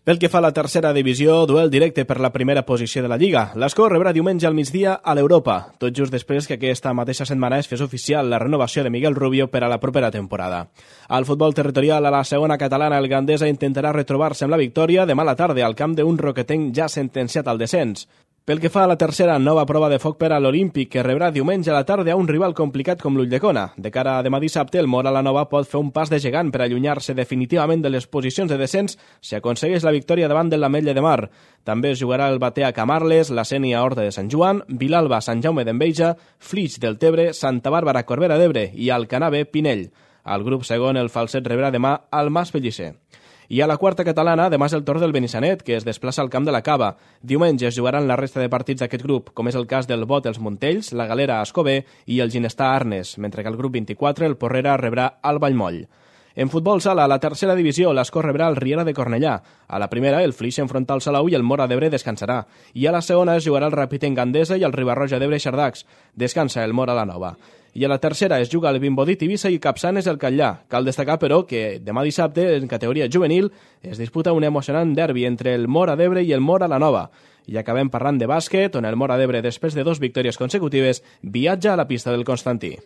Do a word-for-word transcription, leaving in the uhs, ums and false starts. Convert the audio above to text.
Pel que fa a la tercera divisió, duel directe per la primera posició de la Lliga. L'Escó rebrà diumenge al migdia a l'Europa, tot just després que aquesta mateixa setmana es fes oficial la renovació de Miguel Rubio per a la propera temporada. Al futbol territorial, a la segona catalana, el Gandesa intentarà retrobar-se amb la victòria demà a la tarda al camp d'un roquetenc ja sentenciat al descens. Pel que fa a la tercera, nova prova de foc per a l'Olímpic, que rebrà diumenge a la tarda a un rival complicat com l'Ulldecona. De cara a demà dissabte, el Móra la Nova pot fer un pas de gegant per allunyar-se definitivament de les posicions de descens si aconsegueix la victòria davant de l'Ametlla de Mar. També es jugarà el Batea Camarles, la Sénia Horta de Sant Joan, Vilalba Sant Jaume d'Enveja, Flix del Tebre, Santa Bàrbara Corbera d'Ebre i Alcanar B Pinell. Al grup segon, el Falset rebrà demà al Mas Pellicer. I a la quarta catalana, demà és el torn del Benissanet, que es desplaça al camp de la Cava. Diumenge es jugaran la resta de partits d'aquest grup, com és el cas del Bot els Montells, la Galera a Escobé i el Ginestar Arnes, mentre que el grup vint-i-quatre, el Porrera, rebrà al Vallmoll. En futbol sala, a la tercera divisió, l'Escó rebrà el Riera de Cornellà. A la primera, el Flix enfronta el Salou i el Móra d'Ebre descansarà. I a la segona es jugarà el Ràpid en Gandesa i el Ribarroja d'Ebre Xardacs. Descansa el Móra la Nova. I a la tercera es juga el Vimbodí Tivissa i Capçanes el Catllà. Cal destacar, però, que demà dissabte, en categoria juvenil, es disputa un emocionant derbi entre el Móra d'Ebre i el Móra la Nova. I acabem parlant de bàsquet, on el Móra d'Ebre, després de dos victòries consecutives, viatja a la pista del Constantí.